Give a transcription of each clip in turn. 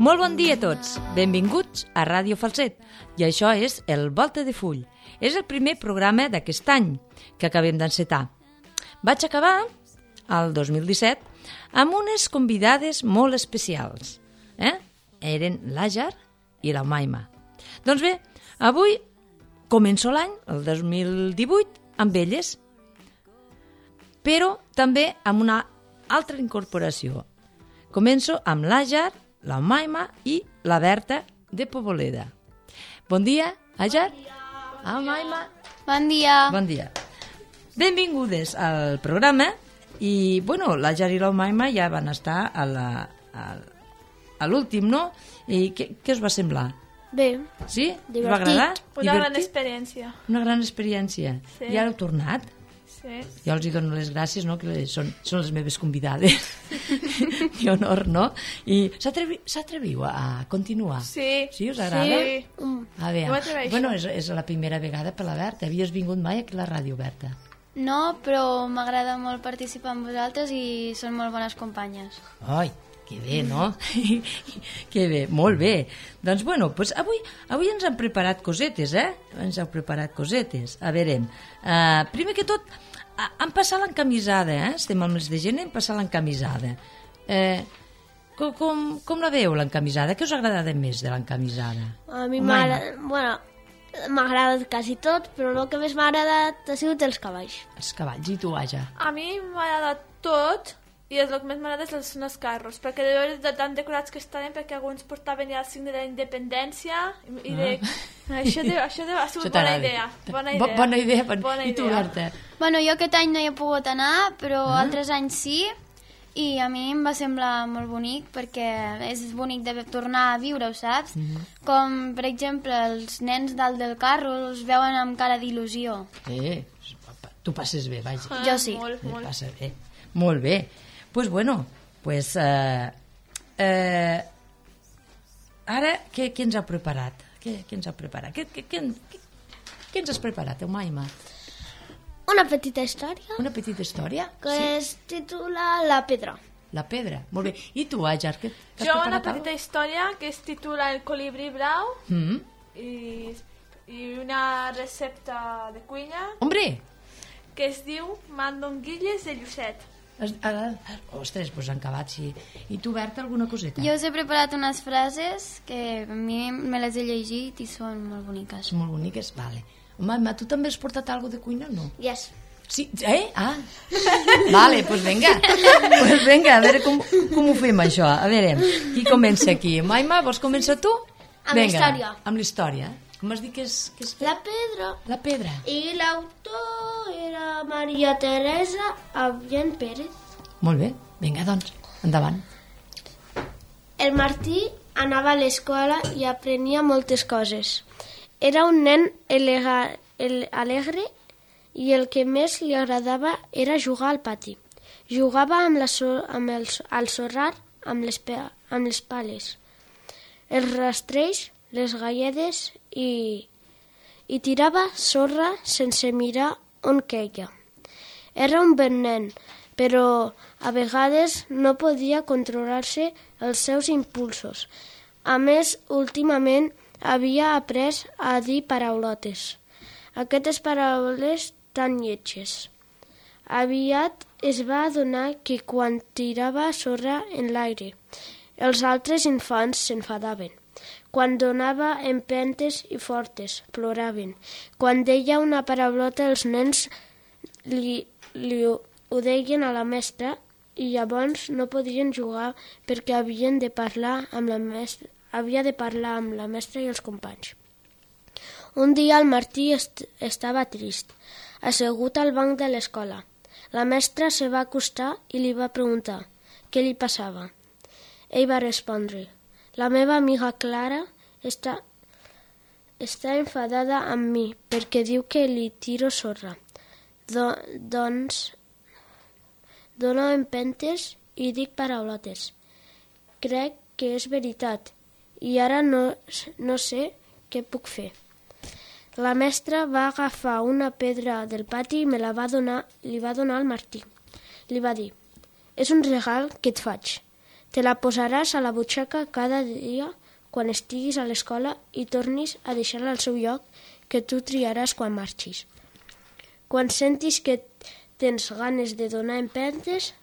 Molt bon dia a tots, benvinguts a Ràdio Falset, i això és el Volta de Full. És el primer programa d'aquest any que acabem d'encetar. Vaig acabar, el 2017, amb unes convidades molt especials. Eren l'Àger i la Maima. Doncs bé, avui començo l'any, el 2018, amb elles, però també amb una altra incorporació. Començo amb l'Àger, la Maima i la Berta de Poboleda. Bon dia, Àger. Bon dia. Maima. Bon dia. Bon dia. Benvingudes al programa i, bueno, l'Àger i la Maima ja van estar a l'últim, no? I què us va semblar? Bé. Sí? Divertit. Us va agradar? Una gran experiència. Una gran experiència. Sí. I ara heu tornat? Sí. Jo els dono les gràcies, no?, que són les meves convidades i honor, no? I s'atreviu a continuar? Sí. Sí, us agrada? Sí. A veure, m'atreveixo. bueno, és la primera vegada per la Berta. Havies vingut mai aquí a la ràdio, Berta? No, però m'agrada molt participar amb vosaltres i són molt bones companyes. Ai, que bé, no? Que bé, molt bé. Doncs, bueno, pues avui ens han preparat cosetes, Ens heu preparat cosetes. A veure, primer que tot, han passat l'encamisada, Estem al mes de gener, hem passat l'encamisada. Com la veieu, l'encamisada? Què us ha agradat més de l'encamisada? A mi m'ha agradat quasi tot, però el que més m'ha agradat ha sigut els cavalls. Els cavalls, i tu, Àger? A mi m'ha agradat tot i el que més m'agrada són els carros, perquè de veure de tan decorats que estaven, perquè alguns portaven ja el signe de la independència i això ha sigut bona idea. Bona idea. I tu, Berta? Bueno, jo aquest any no hi he pogut anar, però altres anys sí, i a mi em va semblar molt bonic, perquè és bonic de tornar a viure-ho, saps? Com, per exemple, els nens dalt del carro els veuen amb cara d'il·lusió. Tu passes bé, vaja. Jo sí. Molt. Passa bé. Molt bé. Pues bueno, ara què ens ha preparat? Què ens ha preparat? Què ens has preparat, Maima? Una petita història Una petita història? que es titula La Pedra. La pedra, molt bé. I tu, Àger, què t'has Jo preparat? una petita història que es titula El colibrí blau i una recepta de cuina Hombre! que es diu mandonguilles de llucet. Ostres, doncs han acabat, sí. I tu, Berta, alguna coseta? Jo us he preparat unes frases que a mi me les he llegit i són molt boniques. Són molt boniques? Vale. Maima, tu també has portat alguna de cuina o no? Yes. Sí? Vale, doncs vinga. Pues vinga, a veure com ho fem, això. A veure, qui comença aquí? Maima, vols començar tu? Amb la història. Amb la història. Com has dit que és? La Pedra. La pedra. I l'autor era Maria Teresa Avian Pérez. Molt bé. Vinga, doncs, endavant. El Martí anava a l'escola i aprenia moltes coses. Era un nen alegre i el que més li agradava era jugar al pati. Jugava al sorrar amb les pales, els rastrells, les galledes i tirava sorra sense mirar on queia. Era un bon nen, però a vegades no podia controlar-se els seus impulsos. A més, últimament havia après a dir paraulotes. Aquestes paraules tan lletges. Aviat es va adonar que quan tirava sorra en l'aire, els altres infants s'enfadaven. Quan donava empentes i fortes, ploraven. Quan deia una paraulota, els nens li ho deien a la mestra i llavors no podien jugar perquè havia de parlar amb la mestra i els companys. Un dia el Martí estava trist, assegut al banc de l'escola. La mestra se va acostar i li va preguntar què li passava. Ell va respondre: la meva amiga Clara està enfadada amb mi perquè diu que li tiro sorra. Doncs dono empentes i dic paraulotes. Crec que és veritat i ara no sé què puc fer. La mestra va agafar una pedra del pati i li va donar al Martí. Li va dir: és un regal que et faig. Te la posaràs a la butxaca cada dia quan estiguis a l'escola i tornis a deixar-la al seu lloc que tu triaràs quan marxis. Quan sentis que tens ganes de donar empentes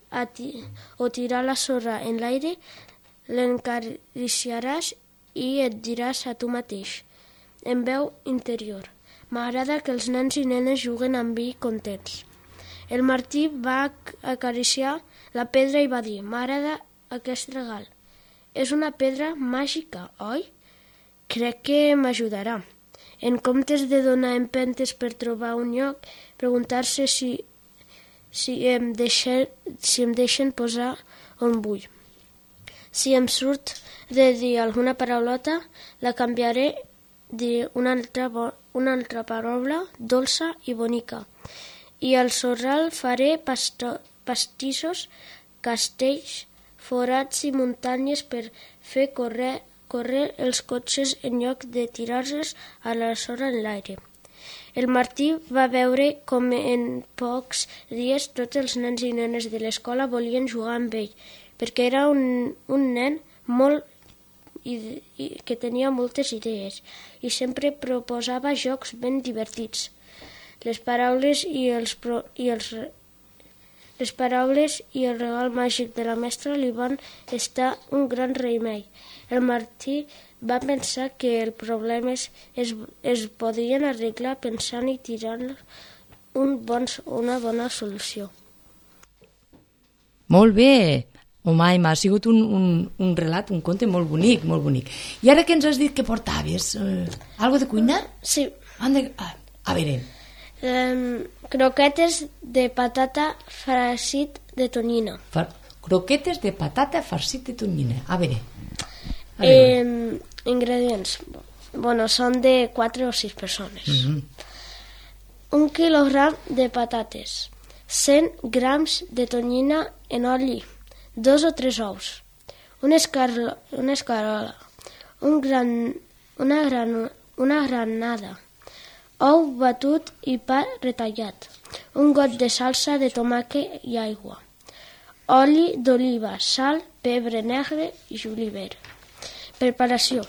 o tirar la sorra en l'aire, l'encariciaràs i et diràs a tu mateix, en veu interior: m'agrada que els nens i nenes juguen amb mi contents. El Martí va acariciar la pedra i va dir: m'agrada aquest regal. És una pedra màgica, oi? Crec que m'ajudarà. En comptes de donar empentes per trobar un lloc, preguntar-se si em deixen posar on vull. Si em surt de dir alguna paraulota, la canviaré d'una altra paraula dolça i bonica. I al sorral faré pastissos, castells, forats i muntanyes per fer córrer els cotxes en lloc de tirar-los a la sorra en l'aire. El Martí va veure com en pocs dies tots els nens i nenes de l'escola volien jugar amb ell, perquè era un nen que tenia moltes idees i sempre proposava jocs ben divertits. Les paraules i el regal màgic de la mestra li van estar un gran remei. El Martí va pensar que els problemes es podien arreglar pensant i tirant una bona solució. Molt bé! Home, m'ha sigut un relat, un conte molt bonic, molt bonic. I ara que ens has dit que portaves? Algo de cuinar? Sí. A veure... croquetes de patata farcit de tonyina. Croquetes de patata farcit de tonyina. A veure. Ingredients. Són de 4 o 6 persones. 1 quilogram de patates, 100 grams de tonyina en oli, 2 o 3 ous, una escarola, una granada, ou batut i pa retallat, un got de salsa de tomàquet i aigua, oli d'oliva, sal, pebre negre i julivert. Preparació.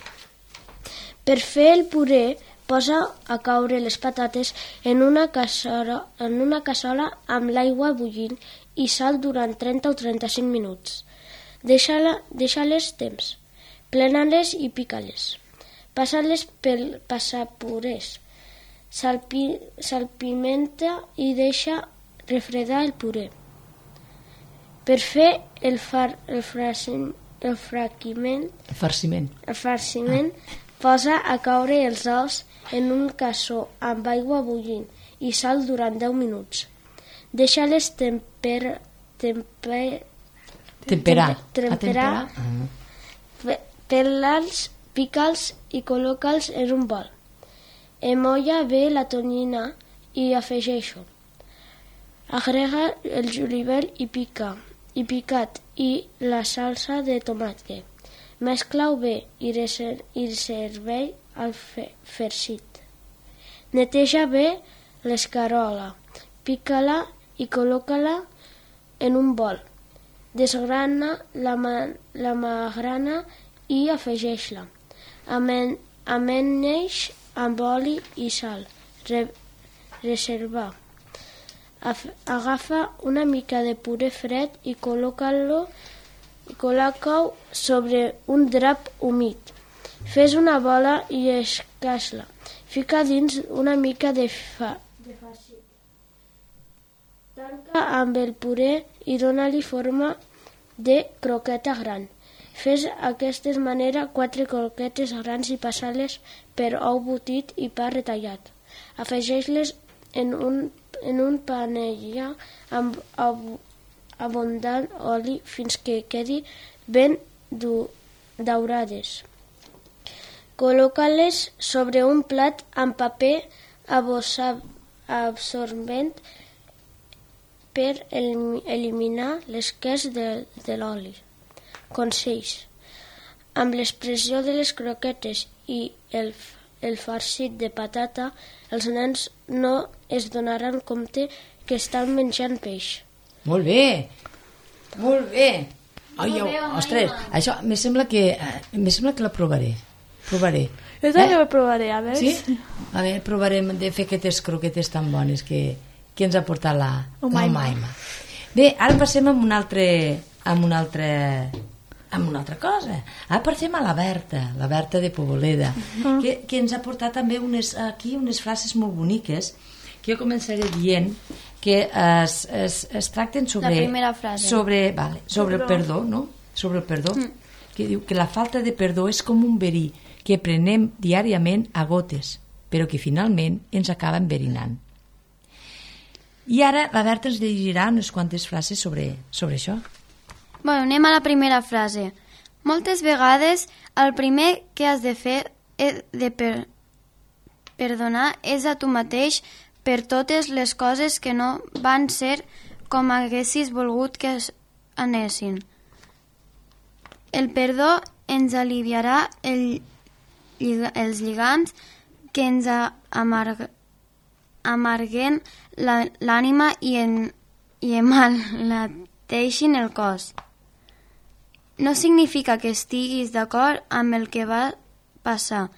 Per fer el puré, posa a caure les patates en una cassola amb l'aigua bullint i sal durant 30 o 35 minuts. Deixa-les temps. Plena-les i pica-les. Passa-les pel passapurés. Salpimenta i deixa refredar el puré. Per fer el farciment, posa a caure els ous en un cassó amb aigua bullint i sal durant 10 minuts. Deixa-les temperar. Pela'ls, pica'ls i col·loca'ls en un bol. Emolla bé la tonyina i afegeix-ho. Agrega el julivert i picat i la salsa de tomàquet. Mescla-ho bé i serveix al farcit. Neteja bé l'escarola, pica-la i col·loca-la en un bol. Desgrana la magrana i afegeix-la. Amaneix amb oli i sal. Reserva. Agafa una mica de puré fred i col·loca-ho sobre un drap humit. Fes una bola i escasla. Fica dins una mica de farcit. Tanca amb el puré i dona-li forma de croqueta gran. Fes d'aquesta manera 4 croquetes grans i passa-les per ou botit i pa retallat. Afegeix-les en un panell amb abundant oli fins que quedi ben daurades. Col·loca-les sobre un plat amb paper absorbent per eliminar l'esqueix de l'oli. Consells. Amb l'expressió de les croquetes i el farcit de patata, els nens no es donaran compte que estan menjant peix. Molt bé, molt bé. Ai, ostres, això me sembla que la provaré. Jo també ho provaré, a veure. Sí? A veure, provarem de fer aquestes croquetes tan bones que ens ha portat la Maima. Bé, ara passem amb una altra cosa. Ara passem a la Berta de Poboleda, que ens ha portat també unes frases molt boniques, que jo començaré dient que es tracten sobre... La primera frase. Sobre el perdó, no? Sobre el perdó, que diu que la falta de perdó és com un verí que prenem diàriament a gotes, però que finalment ens acaba enverinant. I ara la Berta ens llegirà unes quantes frases sobre això. Bueno, anem a la primera frase. Moltes vegades el primer que has de fer de perdonar és a tu mateix per totes les coses que no van ser com haguessis volgut que anessin. El perdó ens aliviarà els lligams que ens amarguen l'ànima i emmalalteixin el cos. No significa que estiguis d'acord amb el que va passar,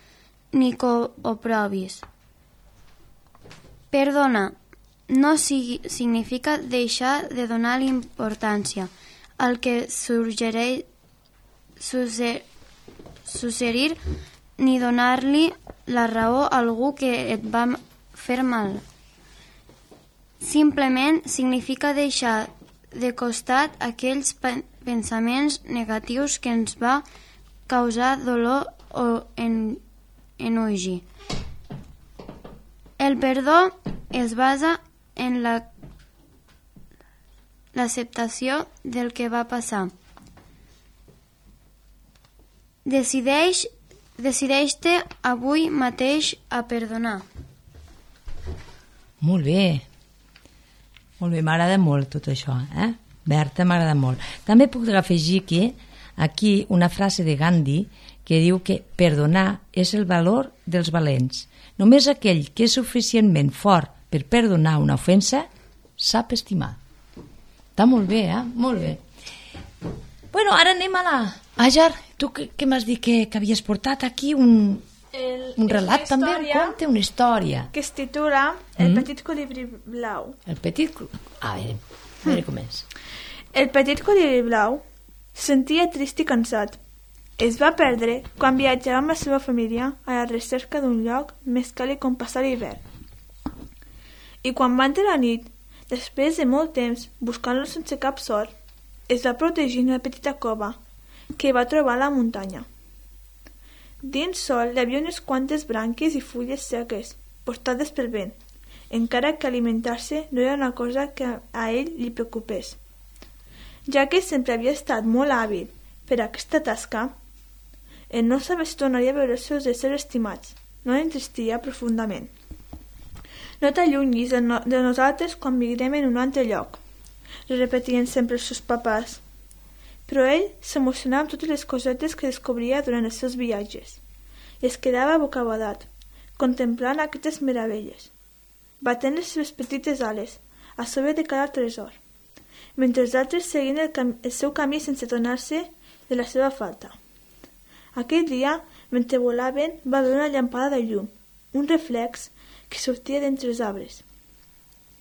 ni que ho provis. Perdona no significa deixar de donar importància al que succeir ni donar-li la raó a algú que et va fer mal. Simplement significa deixar de costat aquells pensaments negatius que ens va causar dolor o enoji. El perdó es basa en l'acceptació del que va passar. Decideix-te avui mateix a perdonar. Molt bé, m'agrada molt tot això, Berta, m'agrada molt. També puc afegir que aquí una frase de Gandhi que diu que perdonar és el valor dels valents. Només aquell que és suficientment fort per perdonar una ofensa sap estimar. Està molt bé, Molt bé. Bueno, ara anem a la... Àger, tu què m'has dit que havies portat aquí un relat també? Conte una història. Que es titula El petit colibrí blau. El petit... A veure com és. El petit colibrí blau se sentia trist i cansat. Es va perdre quan viatjava amb la seva família a la recerca d'un lloc més càlid on passar l'hivern. I quan va entrar la nit, després de molt temps buscant-lo sense cap sort, es va protegir en una petita cova que va trobar a la muntanya. Dins sol hi havia unes quantes branques i fulles seques, portades pel vent, encara que alimentar-se no era una cosa que a ell li preocupés. Ja que sempre havia estat molt hàbil per aquesta tasca, ell no sabia si tornaria a veure els seus éssers estimats. No l'entristia profundament. No t'allunyis de nosaltres quan migrem en un altre lloc, repetien sempre els seus papàs. Però ell s'emocionava amb totes les cosetes que descobria durant els seus viatges i es quedava bocabadat, contemplant aquestes meravelles, batent les seves petites ales a sobre de cada tresor, mentre els altres seguien el seu camí sense donar-se de la seva falta. Aquell dia, mentre volaven, va veure una llampada de llum, un reflex que sortia d'entre els arbres,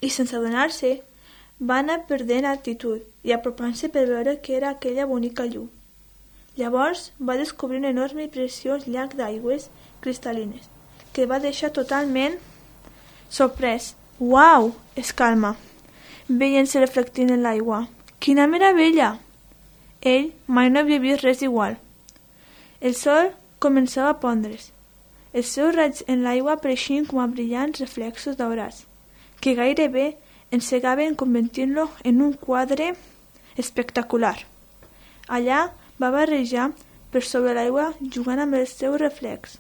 i sense adonar-se va anar perdent altitud i apropant-se per veure què era aquella bonica llum. Llavors va descobrir un enorme i preciós llac d'aigües cristal·lines, que va deixar totalment sorprès. «Uau!», exclama, veient-se reflectint en l'aigua. «Quina meravella!». Ell mai no havia vist res igual. El sol començava a pondre's. Els seus raigs en l'aigua apareixien com a brillants reflexos daurats, que gairebé encegaven convertint-lo en un quadre espectacular. Allà va barrejar per sobre l'aigua jugant amb el seu reflex,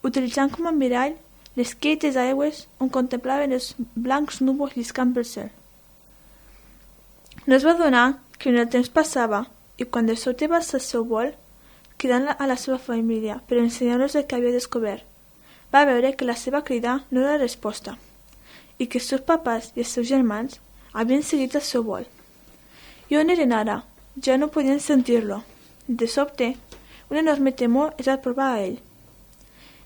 utilitzant com a mirall les quietes aigües on contemplaven els blancs núvols lliscant pel cel. No es va adonar que el temps passava i quan de sobte va alçar el seu vol, cridant a la seva família per ensenyar-los el que havia descobert, va veure que la seva crida no era resposta i que els seus papàs i els seus germans havien seguit el seu vol. «I on eren ara?», ja no podien sentir-lo. De sobte, un enorme temor es va provar a ell.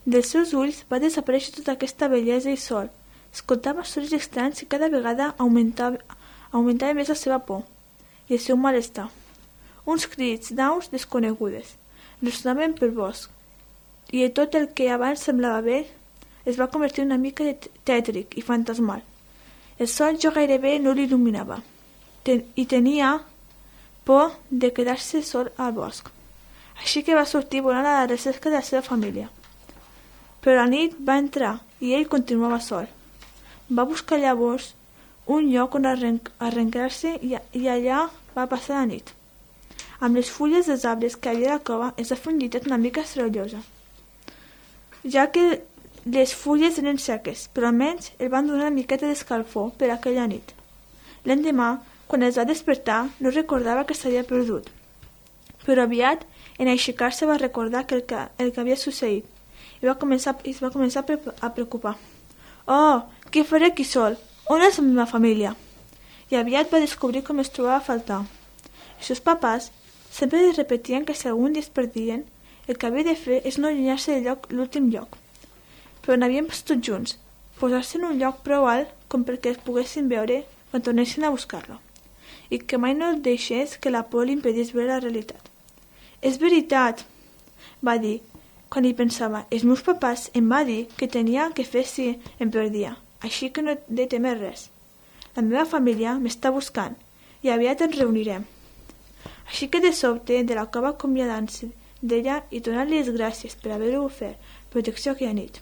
Dels seus ulls va desaparèixer tota aquesta bellesa i sol. Escoltava sons estranys i cada vegada augmentava més la seva por i el seu malestar. Uns crits d'aus desconegudes ressonaven pel bosc i tot el que abans semblava bé es va convertir una mica tètric i fantasmal. El sol jo gairebé no l'il·luminava i tenia por de quedar-se sol al bosc. Així que va sortir volant a la recerca de la seva família. Però la nit va entrar i ell continuava sol. Va buscar llavors un lloc on arrencar-se i allà va passar la nit. Amb les fulles dels arbres que havia a la cova es va fer un llitet una mica sorollosa, ja que les fulles eren seques, però almenys el van donar una miqueta d'escalfor per aquella nit. L'endemà, quan es va despertar, no recordava que s'havia perdut, però aviat, en aixecar-se, va recordar el que havia succeït i es va començar a preocupar. «Oh, què faré aquí sol? On és la meva família?» I aviat va descobrir com es trobava a faltar. Els seus papàs sempre li repetien que si algun dia es perdien, el que havia de fer és no allunyar-se de l'últim lloc. Però n'havien pas tots junts, posar-se en un lloc prou alt com perquè es poguessin veure quan tornessin a buscar-lo, i que mai no deixés que la por li impedís veure la realitat. «És veritat», va dir, quan hi pensava. «Els meus papàs em va dir que tenia que fer si em perdia, així que no he de temer res. La meva família m'està buscant i aviat ens reunirem». Així que de sobte, de la cova acomiadant-se d'ella i donant-li les gràcies per haver-ho ofert protecció aquella nit.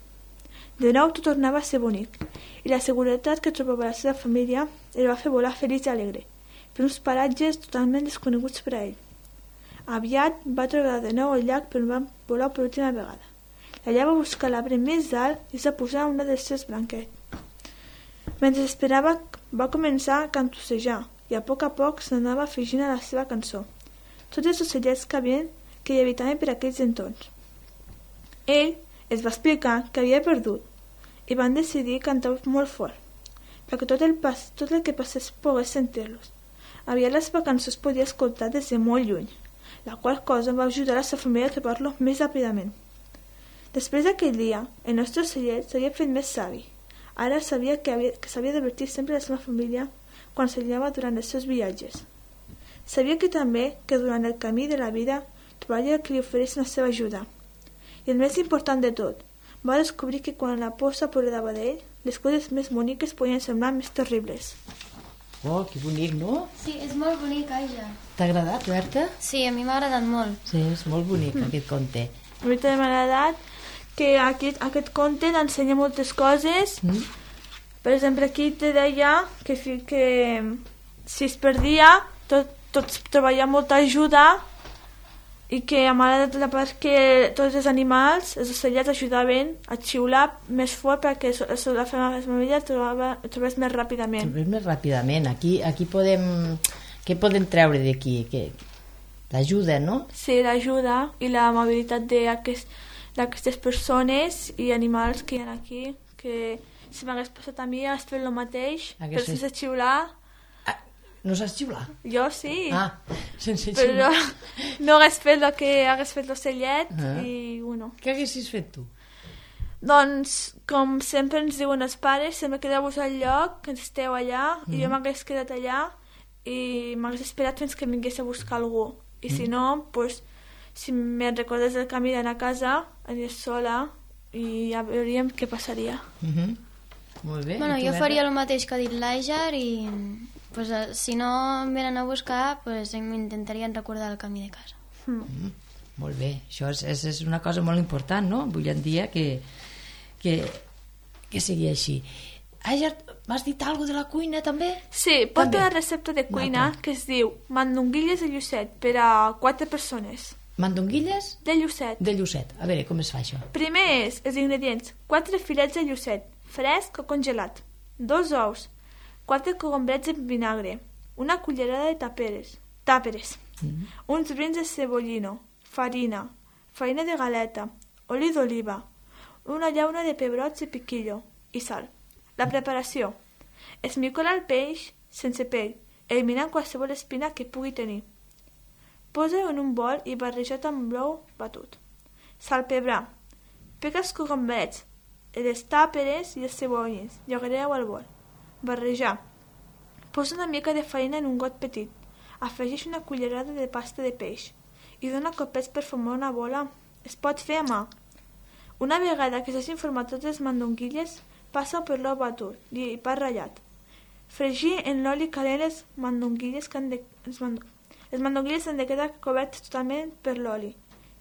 De nou tot tornava a ser bonic, i la seguretat que trobava la seva família el va fer volar feliç i alegre, per uns paratges totalment desconeguts per a ell. Aviat va trobar de nou el llac per on va volar per última vegada. Allà va buscar l'arbre més alt i es va posar una dels seus blanquets. Mentre esperava, va començar a cantossejar i a poc s'anava afegint a la seva cançó tots els ocellets que hi habitaven per aquells entorns. Ell es va explicar que havia perdut i van decidir cantar molt fort perquè tot el que passés pogués sentir-los. Aviat la seva cançó es podia escoltar des de molt lluny, la qual cosa va ajudar a la seva família a trobar-lo més ràpidament. Després d'aquell dia, el nostre ocellet s'havia fet més savi. Ara sabia que s'havia d'advertir sempre la seva família quan s'allunyava durant els seus viatges. Sabia que també que durant el camí de la vida trobaria que li oferissin la seva ajuda. I el més important de tot, va descobrir que quan la por s'apoderava d'ell, les coses més boniques podien semblar més terribles. Oh, que bonic, no? Sí, és molt bonic, Aija. T'ha agradat, Berta? Sí, a mi m'ha agradat molt. Sí, és molt bonic aquest conte. A mi també m'ha agradat que aquest conte t'ensenya moltes coses. Per exemple, aquí te deia que si es perdia tots trobaria molta ajuda i que m'ha agradat la part que tots els animals, els ocellets, ajudaven a xiular més fort perquè la família el trobés més ràpidament. Trobés més ràpidament. Aquí podem... Què podem treure d'aquí? L'ajuda, no? Sí, l'ajuda i l'amabilitat d'aquestes persones i animals que hi ha aquí, que si m'hagués passat a mi hagués fet el mateix, però sense xiular. No saps xiular? Jo sí. Sense xiular. Però no hagués fet el que hagués fet l'ocellet i bueno. Què haguessis fet tu? Doncs, com sempre ens diuen els pares, sempre quedeu-vos al lloc, que esteu allà, i jo m'hagués quedat allà i m'hagués esperat fins que vingués a buscar algú. I si no, doncs, si me'n recordés del camí d'anar a casa, aniré sola i ja veuríem què passaria. Molt bé. Bueno, jo faria el mateix que ha dit l'Àger i pues, si no em venen a buscar, pues, m'intentarien recordar el camí de casa. Molt bé, això és una cosa molt important, no? Avui en dia que sigui així. Àger, m'has dit alguna de la cuina també? Sí, porto una recepta de cuina que es diu mandonguilles de llucet per a 4 persones. Mandonguilles? De llucet. De llucet. A veure, com es fa això? Primer és els ingredients: 4 filets de llucet, fresc o congelat, 2 ous, 4 cogombrets en vinagre, una cullerada de tàperes, uns brins de cebollino, farina de galeta, oli d'oliva, una llauna de pebrots i piquillo i sal. La preparació: esmicola el peix sense pell, eliminant qualsevol espina que pugui tenir. Posa-ho en un bol i barrejat amb l'ou batut. Salpebrar. Pica els cogombrets, les tàperes i les cebolles i agrega-ho al bol. Barrejar. Posa una mica de farina en un got petit. Afegeix una cullerada de pasta de peix i dona copets per formar una bola. Es pot fer a mà. Una vegada que s'hagin format totes les mandonguilles, passa-ho per l'ou batut i pa ratllat. Fregir en l'oli calent les mandonguilles les mandonguilles han de quedar cobertes totalment per l'oli,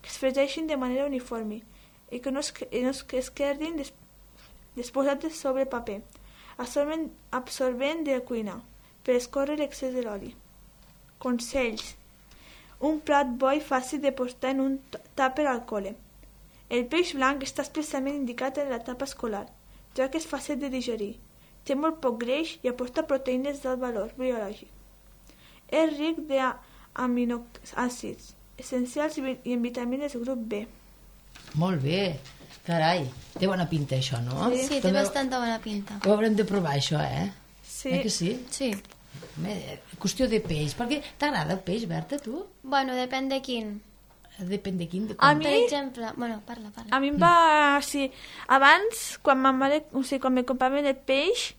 que es fregeixin de manera uniforme i que no es quedin disposades sobre paper, absorbent de cuina, per escórrer l'excés de l'oli. Consells. Un plat bo i fàcil de portar en un tàper al col·le. El peix blanc està especialment indicat en l'etapa escolar, ja que és fàcil de digerir, té molt poc greix i aporta proteïnes d'alt valor biològic. És ric d'aminoàcids essencials i en vitamines grup B. Molt bé, carai, té bona pinta això, no? Sí, té bastanta bona pinta. Ho haurem de provar això, Sí. Que sí? Sí. Qüestió de peix, perquè t'agrada el peix, Berta, tu? Bueno, depèn de quin. Depèn de quin, de A com. mi- Per exemple... Bueno, parla. A mi em va... Sí, abans, quan me compraven el peix,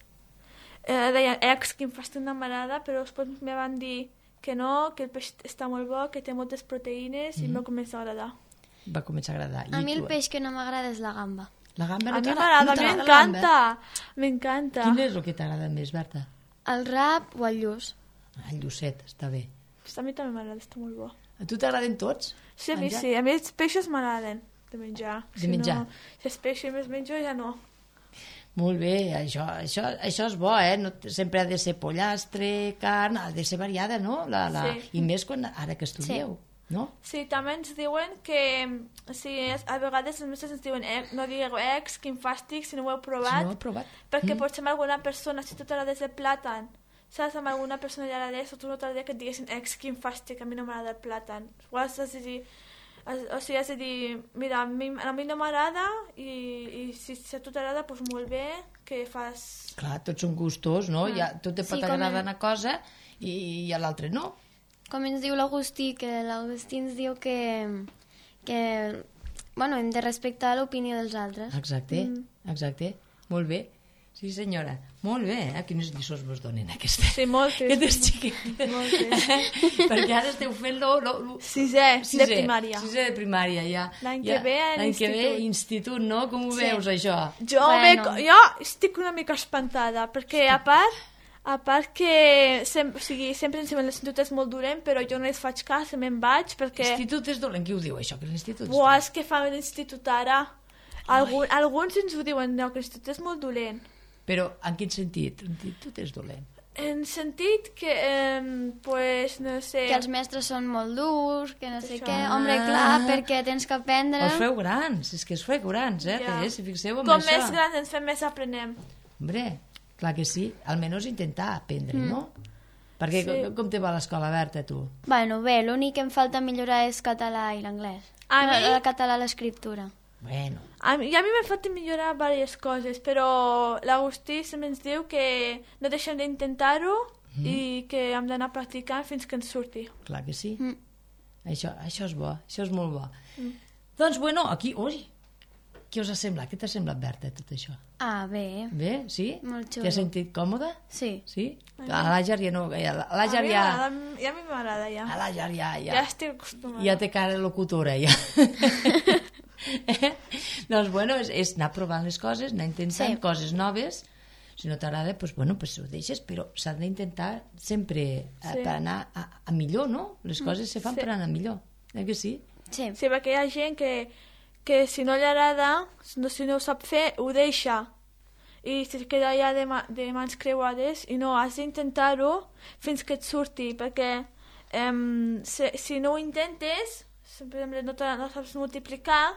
deien, que em fas una marada, però després me van dir que no, que el peix està molt bo, que té moltes proteïnes i m'ha començat a agradar. Va començar a agradar. A I mi el tu? peix que no m'agrada és la gamba. La gamba A no mi t'agrada? m'agrada, No t'agrada la gamba? m'encanta, m'encanta. Quin és el que t'agrada més, Berta? El rap o el lluç. El llucet, està bé. A mi també m'agrada, està molt bo. A tu t'agraden tots? Sí, a mi Menjar? sí, a mi els peixos m'agraden de menjar. De menjar. No, si els peixos més menjo, ja no. Molt bé, això és bo, no? Sempre ha de ser pollastre, carn, ha de ser variada, no? Sí. I més ara que estudieu, no? Sí, també ens diuen que a vegades els mestres ens diuen no digueu quin fàstic, si no ho heu provat, Si no ho heu provat. perquè potser amb alguna persona, si tu t'agrades el plàtan, saps, amb alguna persona li agradés, o tu no t'agradaria que et diguessin quin fàstic, a mi no m'agrada el plàtan. O has de dir, has de dir, mira, a mi no m'agrada i si a tu t'agrada, doncs molt bé, que fas... Clar, tots són gustos, no? Tot te pot Sí, agradar una cosa i a l'altre no. Com ens diu l'Agustí, que l'Agustí ens diu que bueno, hem de respectar l'opinió dels altres. Exacte. Molt bé. Sí, senyora. Molt bé, quines lliçons vos donen aquestes. Sí, moltes. Aquestes xiquetes. Moltes. Perquè ara esteu fent Sisè de primària. Sisè de primària, ja. L'any que ve a L'any que ve, institut. institut, no? Com ho veus, això? Jo estic una mica espantada, perquè a part que sempre ens diuen l'institut és molt dolent, però jo no els faig cas, me'n vaig, perquè... L'institut és dolent, qui ho diu, això, que l'institut Buah, és que fa l'institut ara. Alguns ens ho diuen, no, que l'institut és molt dolent. Però en quin sentit? L'institut és dolent. En sentit que, pues, no sé... Que els mestres són molt durs, que no sé Això. què. Hombre, clar, perquè tens que aprendre... Us feu grans, és que us feu grans, Ja. Si fixeu en Com això. més grans ens fem, més aprenem. Hombre, clar que sí, almenys intentar aprendre, no? Perquè Sí. com te va a l'escola, Berta, tu? Bueno, bé, l'únic que em falta millorar és català i l'anglès. A mi? El català, l'escriptura. Bueno, A mi m'ha fet millorar diverses coses, però l'Agustí sempre ens diu que no deixem d'intentar-ho i que hem d'anar practicant fins que ens surti. clar que sí. Això és bo, això és molt bo. Doncs, bueno, aquí, ui, què us ha semblat? Què t'ha semblat, Berta, tot això? Ah, bé. Bé, sí? Molt xulo. T'has sentit còmode? Sí. Sí? A l'Àger ja no... A l'Àger ja... A mi m'agrada, ja. A l'Àger ja... Ja estic acostumada. Ja té cara locutora, ja. Doncs, bueno, és anar provant les coses, anar intentant coses noves. Si no t'agrada, doncs ho deixes, però s'ha d'intentar sempre per anar a millor, no? Les coses se fan per anar millor, que sí? Sí. Sí, perquè hi ha gent que si no li agrada, si no ho sap fer, ho deixa. I se queda allà de mans creuades i no, has d'intentar-ho fins que et surti, perquè si no ho intentes, per exemple, no saps multiplicar,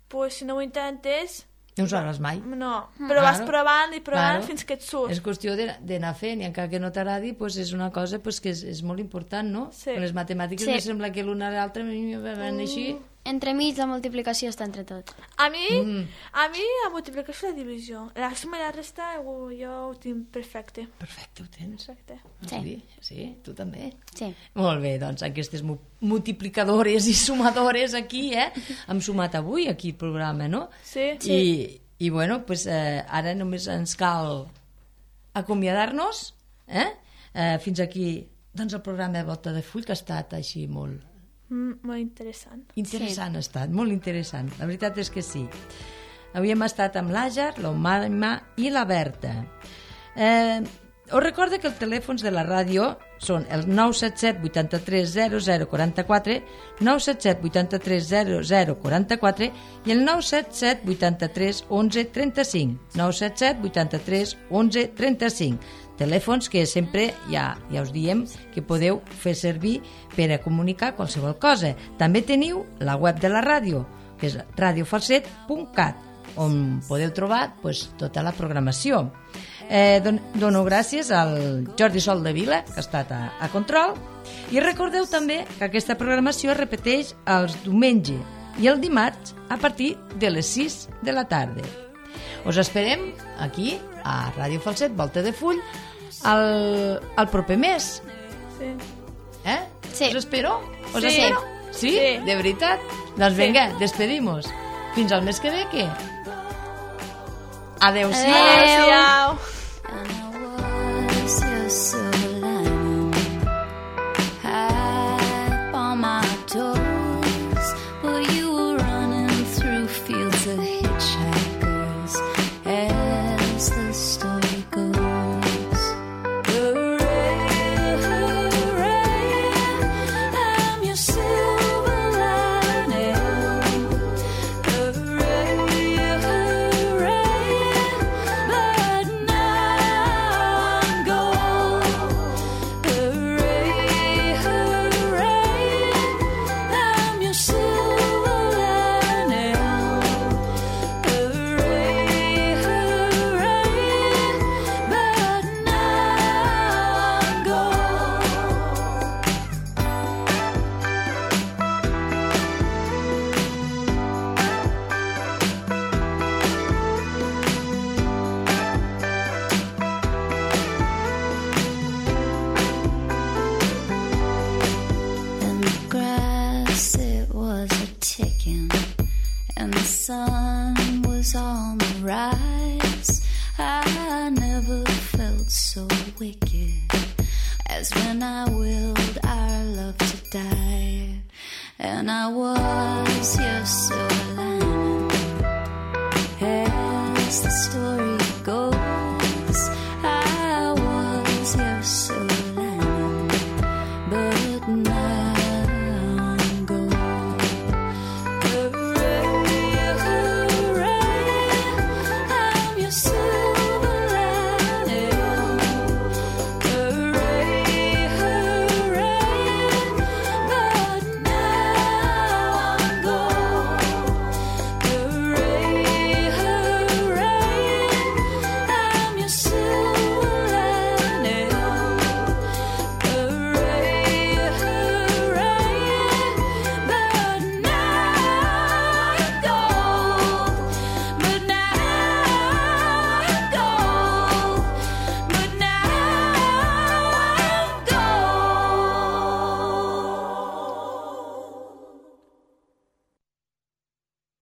pues, si no ho intentes... No ho sabràs mai. No, però vas provant i provant Claro. fins que et surt. És qüestió d'anar fent, i encara que no t'agradi, doncs és una cosa que és molt important, no? Sí. Les matemàtiques Sí. me sembla que l'una a l'altra van així, entremig la multiplicació està entre tot. A mi la multiplicació i la divisió. La suma i la resta jo ho tinc perfecte. Perfecte, ho tens. Perfecte. Sí, tu també. Sí. Molt bé, doncs aquestes multiplicadores i sumadores aquí, hem sumat avui aquí el programa, no? Sí. I bueno, pues, ara només ens cal acomiadar-nos, fins aquí, doncs el programa de Volta de Full, que ha estat així molt... Molt interessant. Interessant ha estat, molt interessant. La veritat és que sí. Avui hem estat amb l'Àger, l'Omaima i la Berta. Us recordo que els telèfons de la ràdio són el 977 83 0044, 977 83 0044 i el 977 83 11 35, 977 83 11 35. Telèfons que sempre ja us diem que podeu fer servir per a comunicar qualsevol cosa. També teniu la web de la ràdio, que és radiofalset.cat, on podeu trobar tota la programació. Dono gràcies al Jordi Sol de Vila, que ha estat a control, i recordeu també que aquesta programació es repeteix els diumenges i el dimarts a partir de les 6 de la tarda. Us esperem aquí a Ràdio Falset, Volta de Full, el proper mes. Sí. Sí. Us espero? Sí. Espero? Sí? Sí. De veritat? Doncs vinga, despedimos. Fins al mes que ve, què? Adéu-siau. Adéu-siau. And I was your silver lining, high on my toes, but you were running through fields of hitchhikers, as the story goes. Hooray, hooray, I'm your silver lining. Hooray, hooray, but now I'm gone. Hooray, hooray, I'm your silver lining. Hooray, hooray, but now I'm gone. And the grass, it was a ticking, and the sun was on the rise. I never felt so wicked as when I willed our love to die. And I was your silver lining, as the story goes. I was your silver lining, but now